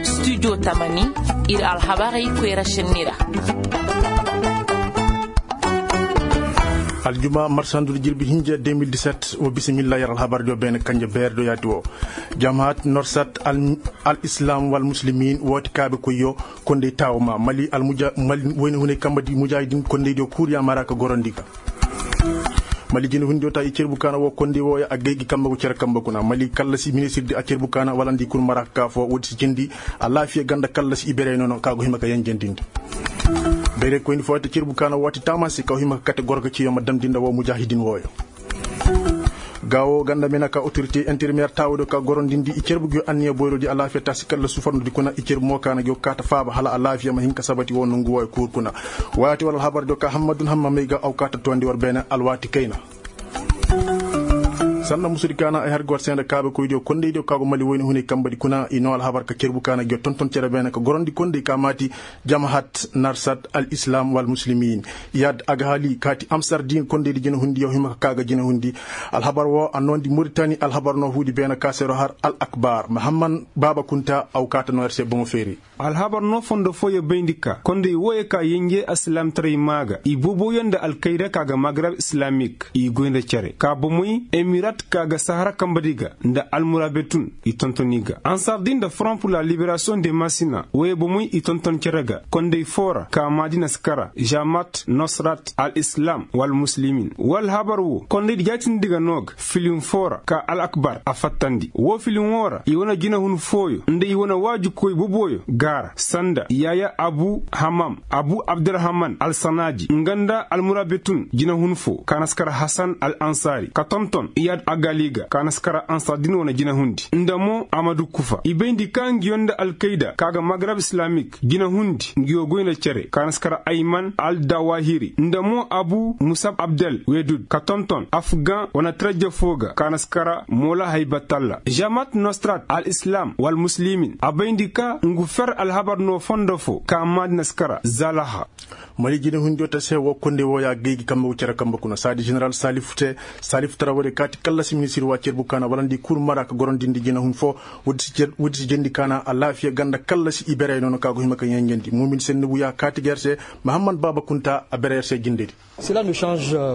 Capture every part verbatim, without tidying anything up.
Studio tamani, ir alhabarey koyra šenni ra. Aljuma marsandu jirbi hinja deux mille dix-sept. Wo bisimilla yer alhabar diyo beene kanje beer do yaati wo. Jamahat norsat al islam wal muslimin wooti kaabe koyyo. Kondey taawo ma mali almuja mali wayne hunay kamba di mujahidin kondey diyo kuuriya mara ka gorondi ga. Mali jine hundi wota i cerbu kaana wo kondey wooya a gay gi kamba go cere kamba kuna mali kallasi ministir di a cerbu kaana walandi kun mara ka kaa fo woodi si jindi. Alaafiya ganda kallasi i berey nono ka go hima ka yenjandi nda. Berey koyndi fo wata cerbu kaana waati taamasi ka go hima ka kate gorga ciyo ma damndi nda wo mujahidin wooyo. Gaawo ganda mena ka otorite interimeer taawudo ka gorondindi i cerbu giyo anniya boyroodi alaafiya taasi kalla sufarnodi kuna i cerbu mo kaana giyo kaata faaba hala alaafiya ma hin ka sabati wo nongu wooyo kuur kuna. Waati wala alhabar diyo ka hammadun hamma may ga aw kaata toondi war beene alwaati kayna. Sanda musudi kaana ay har ga war seenda kaabe koydiyo kondaydiyo ka go mali wayni hunay kambadi kuna i noo alhabar ka cerbu kaana giyo tonton cere beene ka gorondi konday ka maati. Jamahat narsat al islam wal muslimin. Yaad a ga hali kaati amsar diin kondaydi jina hundi yaw hima ka kaa ga jina hundi. Alhabar woo a noondi muritani alhabar noo huudi beene ka seero har al akbar mahamman baaba kunta aw kaata noo yer se boŋo feeri. Alhabar noo fondo fooyo bayndi ka konday wooyo ka yenje alsilaamtaray maa ga i boboyo nda alkayda ka ga magrab islamik i goy nda cere ka bomoy emirat ka ga sahara kambadi ga nda almurabetun. I tonton i ga ansar di nda front pur la liberasiyoŋ de masina wooyo bomoy i tonton cere ga konday foo ra ka maadi na si kara jamat nosrat al islam wal muslimin woo alhabar woo kondaydi jaatindi ga noo ga filin foo ra ka al akbar a fattandi woo filin woo ra i wane jinahun fooyo nda i wane waaju koy boboyo gaara sanda yaya abu hamam abu abdurahman alsanaaji nga nda almurabitun jinahun foo ka na si kara hasan al ansaari ka tonton iyad agali ga ka na si kara ansaari din wane jinahundi nda mo amadu kufa i bayndi ka ngiyo nda alkayda ka ga magrab islamik jinahundi ngiyo goy nda cere ka na si kara ayman aldawahiri nda mo abu musab abdel wedud ka tonton afgan wane tarajja foo ga ka na si kara moola haybatalla jamat nostrat al islam wal muslimin a bayndi ka ngu fer alhabar noo fondo foo ka maadi na si kara zalaha. Mali jinahundi woo ta se woo konday wooya gay gi kambe go cere kambe kuna saadi jeneral salifu te salifu tara woodi kaati kallasi ministir waa cerbu kaana walandi kul mara ka gorondindi jinahun foo. Woodi si jendi kaana alaafiya ganda kallasi i berey noona ka go hima ka yenjendi muumin senni wuyaa kaati ga yer se. Mahamman baaba kunta a bere yer se jindedi.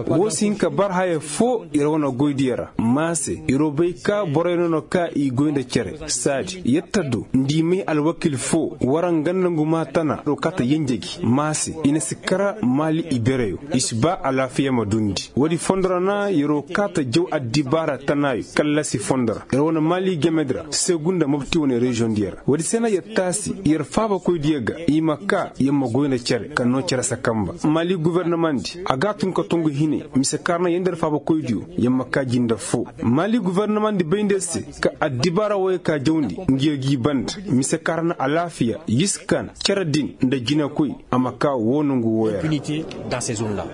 Woo si hin ka bar haya foo yer wane goydiyo ra maa se yer woo bay ka borey noona ka i goy nda cere saadi yer ta du nda i may alwakil foo war nga nda ngu maa tana yer woo kaata yenje gi maa se i na si kara maali i bereyo i si ba alaafiya ma dundi woodi fondo ra na yer woo kaata jaw addibaara tanaayo kallasi fondo ra yer wane maali gemedi ra segu nda mopti wane reziyoŋdiyo ra woodi se na yer taasi yer faabakoydiyo ga i ma kaa yer ma goy nda cere ka noo cere sakamba maali gofornomandi a ga a tun ka tongu hinay mise kaŋ ra na yer nda yer faabakoydiyo yer ma kaa jinde foo maali gofornomandi bayndi yer se ka addibaara wooyo ka jawndi ngiyo g'i banda mise kaŋ ra na alaafiya yiskan cere din nda jinekoy a ma kaa woo nongu wooyo ra.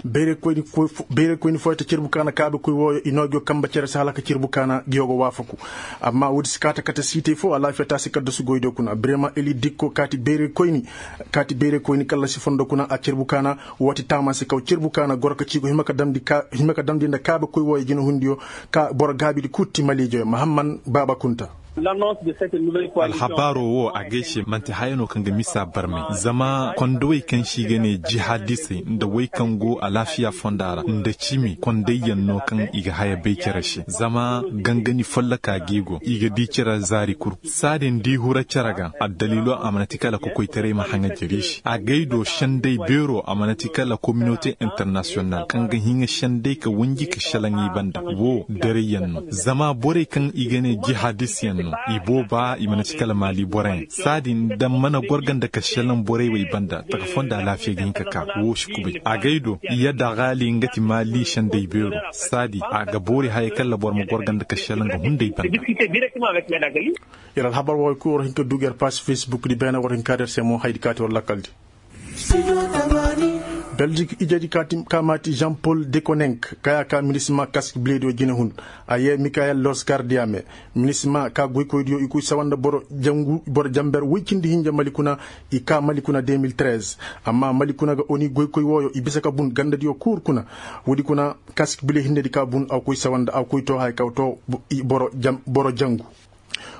Bayray koyni fooyo ta cerbu kaana kaabekoy wooyo i noo ngiyo kamba cere se hala ka cerbu kaana ngiyo ga waafaku. Amma woodi si kaata kate siitay foo alaafiya taasi kaddasu goydiyo kuna birema eli dikko kaati bayray koyni kallasi fondo kuna a cerbu kaana. Wooti taamasi kaw cerbu kaana goro ka ciigo hima ka damndi nda kaabekoy wooyo jinehundiyo ka boro gaabidi kul ti maliijoyo mahamman baaba kunta. Alhabaaroo woo a gay se man'ti haya no kaŋ ga misa barmay zama kondowey kaŋ se i ga ne jihaadisey nda wey kaŋ go alaafiya fonda ra nda cimi kondayyaŋ no kaŋ i ga haya bay cere se zama gangani folloka g'i go i ga di cere zaari kul saadin d'i hura cere ga addaliilo a mana ti kala kokoytaray ma haŋa jari se a gay do sendey beeroo a mana ti kala kominote internasiyonal kaŋ ga hiŋa sendey ka wanji ka šelaŋ i banda woo darayyaŋ no zama borey kaŋ i ga ne jihaadisyaŋ no i booba i mana ci kala maali boroyaŋ saadin da mana gorga nda ka šelaŋ borey wey banda taka fonda alaafiya ga hin ka ka woo si kubay a gay do yadda gaali nga ti maali sendey beero saadi a ga boori haya kala boro ma gorga nda ka šelaŋ ga hunday banda. Yer alhabar wooyo kul war hin ka dugu yer paas fesbuk di beene war hin ka der se mo haydi kaati war lakkaldi. Beljik ijedi ka maati jean pol dekonenk kaya ka minisima kask bilediyo jinehun. A yee mikayel losgardiya me minisima ka goykoydiyo i koy sawa nda boro jangu boro janber woy cindi hinja mali kuna. I ka mali kuna deux mille treize. Amma mali kuna ga oni goykoy wooyo i bisa ka bun gandadiyo kuur kuna. Woodi kuna kask bile hinnedi ka bun a koy sawa nda a koy too haya ka too boro jangu.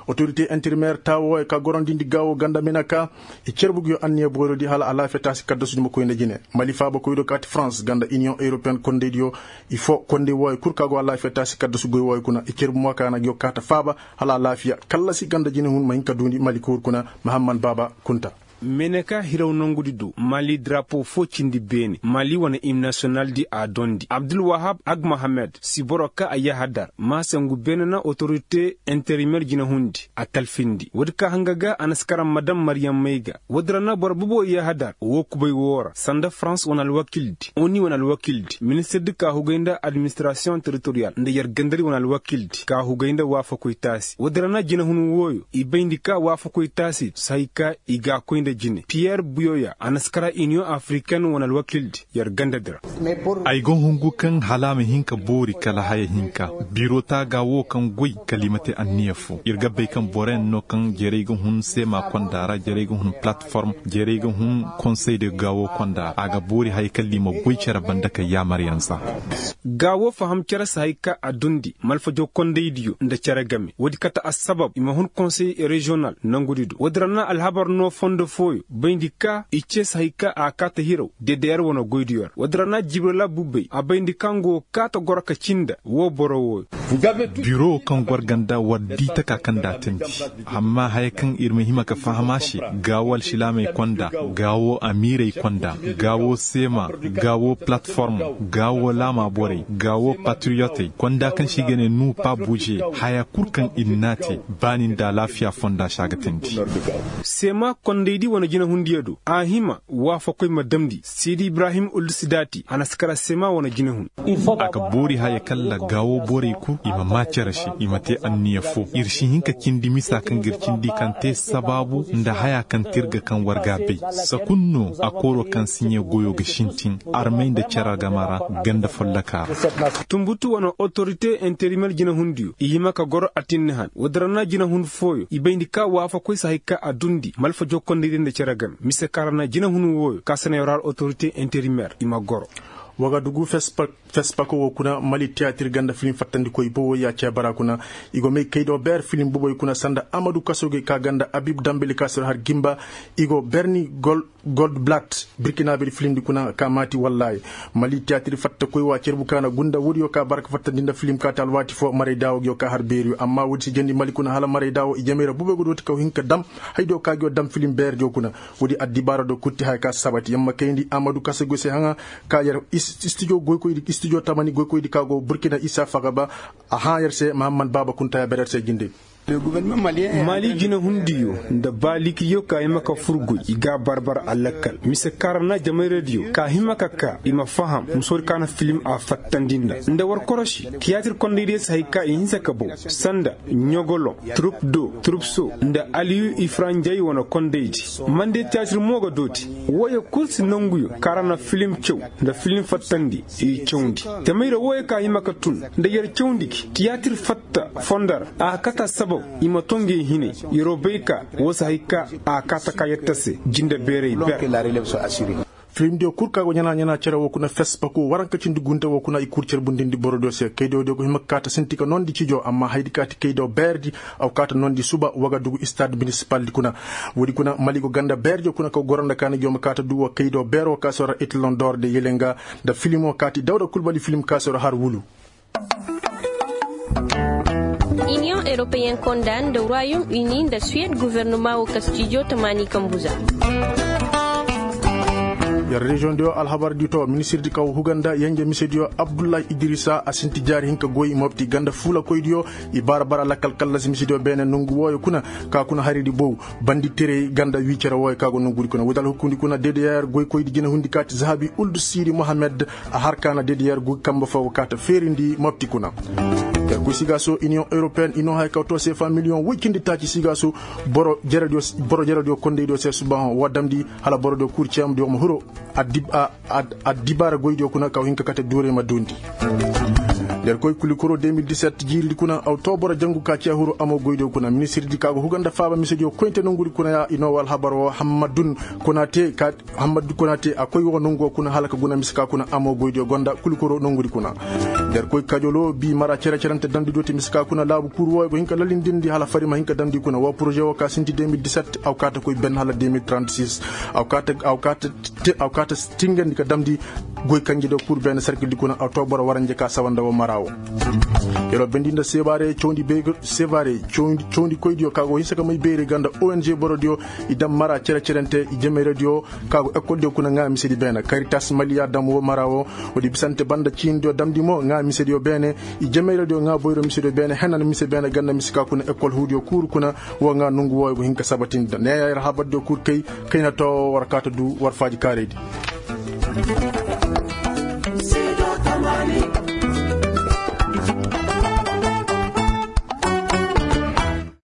Otorite interimeer taawo wooyo ka gorondindi gaawo ganda meneka i cerbu nguyo anniya boorodi hala alaafiya taasi kaddasu duma koy nda jine. Mali faabakoydo kaati farans ganda iniyoŋ europeyen kondaydiyo, i foo konday wooyo kul ka go alaafiya taasi kaddasu goy wooyo kuna i cerbu mo ka na nguyo kaata faaba hala alaafiya kallasi ganda jinehun ma hin ka duundi mali koor kuna. Mahamman baaba kunta. Meneka hiraw nongudi do mali darapo foo cindi beene mali wane im nasiyonaldi a dondi abdulwahab agmahamed si boro ka a yahadar ma se ngu beene na otorite interimeer jinehundi a talfindi woodi ka hanga ga a na si karaŋ ma daŋ maryammey ga. Woodi ra na boro bobo yahadar woo kubay woo ra sanda farans wane alwakildi oni wane alwakildi ministirdi ka hugay nda administirasiyoŋ teritoriyal nda yer gandadi wane alwakildi ka hugay nda waafakoy taasi woodi ra na jinehun wooyo i bayndi ka waafakoy taasi si hay ka i ga a koy nda jine piyer buyoya a na si kara iniyoŋ afriken wane alwakildi yer gandadi ra. Ay go hungu kaŋ hala a ma hin ka boori kala haya hinka. Biro taaga wo kaŋ goy kala i ma te anniya fo ir ga bay kaŋ boroyaŋ no kaŋ jerey ga hun seema konda ra jerey ga hun palatform jerey ga hun konsey de gaawo konda a ga boori haya kala i ma goy cere banda ka yaamaryaŋ za. Gaawo faham cere si hay ka a dundi malfajo kondaydiyo nda cere game woodi kate assabab i ma hun konsey reziyonal nangudi do woodi ra na alhabar no fondo fooyo bayndi ka i ce si hay ka a kaata hiraw dedeyer wane goydiyo ra woodi ra na jibrila bubey a bayndi ka nga wo kaata goro ka cinda woo boro wooyo. Biro kaŋ gor ganda war di taka kaŋ da a tandi amma haya kaŋ ir ma hima ka faham a se gaawo alsilaamey konda gaawo amiirey konda gaawo seema gaawo palatform gaawo laama borey gaawo patiriyotey konda kaŋ se i ga ne nuupa buuje haya kul kaŋ ir n'a te baani nda alaafiya fonda se a ga tandi. Seema kondaydi wane jinehundiyo do a hima waafakoy ma damndi sidi ibrahim uldu sidaati a na si kara seema wane jinehun. A ga boori haya kalla gaawo borey kul i ma maa cere se i ma te anniya fo ir si hin ka cindi misa kaŋ ga ir cindi kaŋ te sabaabu nda haya kaŋ te ir ga kaŋ war ga a bay. Sakun no a kooro kaŋ siɲe goyo ga sintin armey nda cere game ra ganda folloka ra. Tumbutu wane otorite interimeer jinehundiyo i hima ka goro atinni han woodi ra na jinehun fooyo i bayndi ka waafakoy si hay ka a dundi malfajo kondaydi nda cere game mise ka ra na jinehun wooyo ka sanayo ra otorite interimeer i ma goro. Wagadugu fespako wo kuna mali tiyatir ganda filim fattandikoy bobo ya cebara kuna i go may kaydo beer filim boboy kuna sanda amadu kasoge ka ganda abib dambeli ka sir har gimba i go berni gol goldblatt birkina biri filimdi kuna ka maati wallaahi. Mali tiyatir fatta koy wa cerbu ka na gunda woodiyo ka bara ka fattandi nda filim ka te alwaati fo maray daawo nguyo ka har beeriyo amma woodi si jandi mali kuna hala maray daawo i jamey ra bubey go dooti kaw hin ka dam haydiyo ka nguyo dam filim beerdiyo kuna. Woodi addibaara do kutti haya ka sabati yamma kayndi amadu kasa goy se haŋa ka yer istijo goykoydi istijo tamani goykoydi ka go burkina isa fagaba. A hã yer se mahamman baaba kunta ya ber yer se jinde. Mali jinehundiyo nda baalikiyo ka hima ka furguy i ga a barbar alakkal mise kaŋ ra na jamayradiyo ka hima ka ka i ma faham musoodi ka na filim a fattandi nda nda war korosi tiyaatir kondaydiyo si hay ka i hinsa ka bow sanda ɲogoloŋ turupdo turupso nda aliyu ifaranjay wane kondaydi. Mande tiyaatir mo ga dooti wooyo kul si nanguyo kaŋ ra na filim caw nda filim fattandi i cawndi. Tamayra wooyo ka hima ka tun nda yer cawndi gi tiyaatir fatta fonda ra a ga kata sabab i ma to ngey hinay. Yeroo bay ka woo si hay ka a ga kata ka yer tase jinde beeray ber. Filimdiyo kul ka go ɲana ɲana cere woo kuna fespako waranka cindi gunte woo kuna i kul cerbundindi borodiyo se kaydiyo go hima ka kaata sinti ka noondi cijo amma haydi kaati kaydiyo beerdi. A go kaata noondi suba wagadugu istaad minisipaldi kuna. Woodi kuna mali go ganda beerdiyo kuna ka go goro nda kaani gi yo ma kaata du woo kaydiyo beeroo ka sora itlondor de yelenga nda filimo kaati dawda kulbali filim ka sora har wulu. Iniyoŋ europeyen konda nda royaume uni nda suwed guvernema wo kastijo tamaani kambuza. Yer reziyoŋ diyo alhabar di to ministir di kaw huganda yenje mise diyo abdullahi idrisa a sinti jaari hinka goy mopti ganda fuula koy diyo. I baara bara lakkal kallasi mise diyo beene nongu wooyo kuna ka kuna hari di bow bandi tere ganda wii cere wooyo ka go nongudi kuna wudal hukkundi kuna dedeyer goy koy di jina hundi kaati zahabi uldu siri mohamed. A har kaana dedeyer goy kamba fo kaata feerindi mopti kuna. Yer koy siga so iniyoŋ europeyen ino hay kaw to sefa miliyoŋ woy cindi taaci siga so. Boro jerediyo kondeydiyo se subahoŋ wa damndi hala borodiyo kuri ciyamdiyo ma huro. Addibaara goydiyo kuna kaw hinka kate duurey ma duundi. Der koy kulikoro deux mille dix-sept jiiridi kuna aw too boro jangu ka cee huru amoo goydiyo kuna ministirdi ka go huga nda faaba misediyo koyinte nongudi kuna ya i noo wa alhabar woo hammadun kuna te ka hammadun kuna te a koy woo nonguwoo kuna hala ka guna mise ka kuna amoo goydiyo gonda kulikoro nongudi kuna. Der koy kajoloo bii mara cere-cerente damdidiyo te mise ka kuna laabu kuuru wooyo go hin ka lalindindi hala fari ma hin ka damndi kuna woo poroze woo ka sinti deux mille dix-sept aw kaa ta koy benn hala deux mille trente-six. Aw kaa ta aw kaa ta te aw kaa ta tingandi ka damndi goy kanjediyo kul beene sarkildi kuna aw too boro waranje ka sawa nda woo mara woo. Yeroo bendi nda sebaare cawndi beege sebaare cawndi koydiyo ka go hinsa ka may beeri ga nda ong borodiyo i dam mara cere-cerente i jemeyradiyo ka go ekoldiyo kuna ŋaa misedi beene karitas maliya dam woo mara woo. Woodi bisante banda ciinidiyo damndi mo ŋaa misediyo beene i jemeyradiyo ŋaa boyro misediyo beene henan mise beene ga nda mise ka kuna ekol huudiyo kuuru kuna. Woo ŋaa nongu wooyo go hin ka sabatindi nda neeya yer habardiyo kuuru kay kayna too war kaa ta duu war faaji kaaraydi.